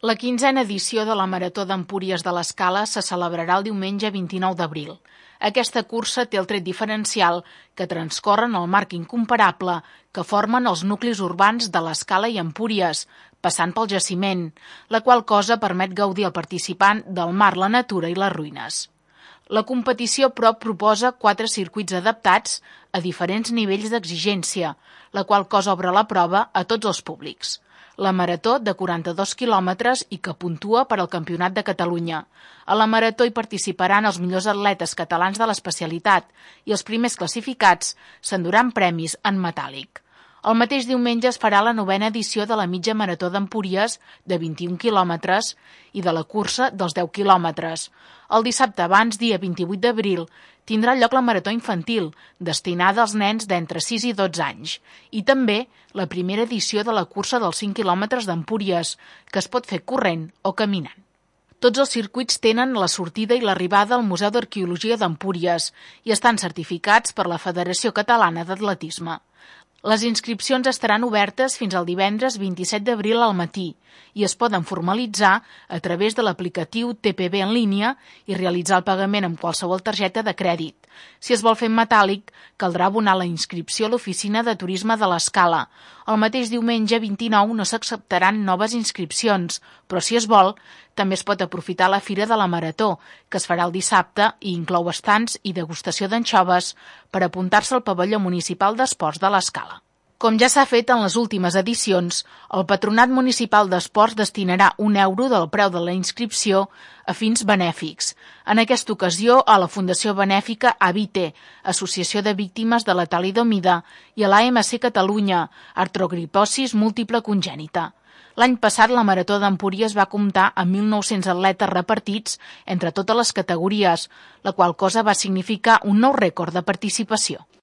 La 15a edició de la Marató d'Empúries de l'Escala se celebrarà el diumenge 29 d'abril. Aquesta cursa té el tret diferencial que transcorren el marc incomparable que formen els nuclis urbans de l'Escala i Empúries, passant pel jaciment, la qual cosa permet gaudir al participant del mar, la natura i les ruïnes. La competició, però, proposa 4 circuits adaptats a diferents nivells d'exigència, la qual cosa obre la prova a tots els públics. La marató de 42 quilòmetres i que puntua per al Campionat de Catalunya. A la marató hi participaran els millors atletes catalans de l'especialitat i els primers classificats s'enduran premis en metàl·lic. El mateix diumenge es farà la 9a edició de la mitja marató d'Empúries de 21 quilòmetres i de la cursa dels 10 quilòmetres. El dissabte abans, dia 28 d'abril, tindrà lloc la marató infantil, destinada als nens d'entre 6 i 12 anys, i també la primera edició de la cursa dels 5 quilòmetres d'Empúries, que es pot fer corrent o caminant. Tots els circuits tenen la sortida i l'arribada al Museu d'Arqueologia d'Empúries i estan certificats per la Federació Catalana d'Atletisme. Les inscripcions estaran obertes fins al divendres 27 d'abril al matí i es poden formalitzar a través de l'aplicatiu TPB en línia i realitzar el pagament amb qualsevol targeta de crèdit. Si es vol fer en metàl·lic, caldrà abonar la inscripció a l'Oficina de Turisme de l'Escala. El mateix diumenge 29 no s'acceptaran noves inscripcions, però si es vol, també es pot aprofitar la Fira de la Marató, que es farà el dissabte i inclou estants i degustació d'anxoves per apuntar-se al pavelló municipal d'esports de l'Escala. Com ja s'ha fet en les últimes edicions, el Patronat Municipal d'Esports destinarà €1 del preu de la inscripció a fins benèfics. En aquesta ocasió, a la Fundació Benèfica AVITE, Associació de Víctimes de la Talidomida, i a l'AMC Catalunya, Artrogriposis Múltiple Congènita. L'any passat, la Marató d'Empúries va comptar amb 1.900 atletes repartits entre totes les categories, la qual cosa va significar un nou rècord de participació.